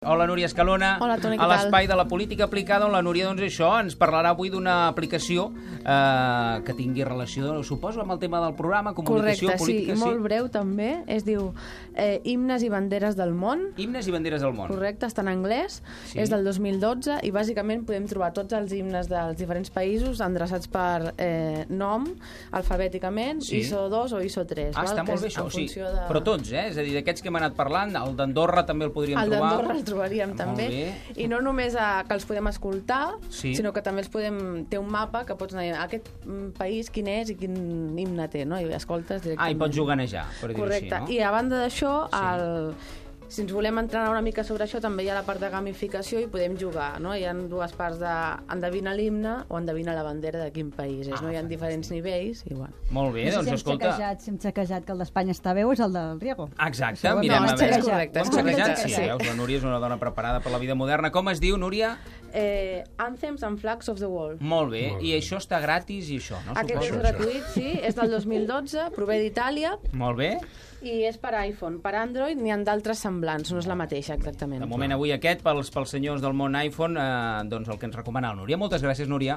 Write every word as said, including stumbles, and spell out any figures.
Hola, Núria Escalona. Hola, Toni, què a tal? l'espai de la política aplicada, on la Núria, doncs això, ens parlarà avui d'una aplicació eh, que tingui relació, suposo, amb el tema del programa, comunicació, Correcte, política... sí, i molt breu també. Es diu eh, Himnes i banderes del món. Himnes i banderes del món. Correcte, està en anglès. Sí. És del dos mil dotze i bàsicament podem trobar tots els himnes dels diferents països endreçats per eh, nom, alfabèticament, Sí. I S O dos o I S O tres. Ah, val? està Que molt bé és això, en o sigui, funció de... però tots, eh? És a dir, d'aquests que hem anat parlant, el d'Andorra també el podríem El trobar. d'Andorra el trobaríem Molt també. bé. I no només a, que els podem escoltar, Sí. sinó que també els podem... Té un mapa que pots anar a aquest mm, país quin és i quin himne té, no? I escoltes directament. Ah, i pots juganejar, per dir-ho així, Correcte. no? I a banda d'això, Sí. el... si ens volem entrenar una mica sobre això, també hi ha la part de gamificació i podem jugar, no? Hi ha dues parts de endevina l'himne o endevina la bandera de quin país és, Ah, no? Hi ha fantàstic. diferents nivells i bueno. Molt bé, No sé doncs si hem escolta... xequejat, si hem xequejat que el d'Espanya està bé o és el del Riego. Exacte, Això ho hem mirem de a xequejar. veure. És correcte, Ho és hem xequejat? correcte, Sí, sí. veus, la Núria és una dona preparada per la vida moderna. Com es diu, Núria? Eh, Anthems and Flags of the World. Molt bé, i això està gratis i això, no? Aquest és Suposo. gratuït, sí, és del dos mil dotze, prové d'Itàlia Molt bé. i és per iPhone. Per Android n'hi ha d'altres semblants, no és la mateixa exactament. De moment avui aquest, pels, pels senyors del món iPhone, eh, doncs el que ens recomana la Núria. Moltes gràcies, Núria.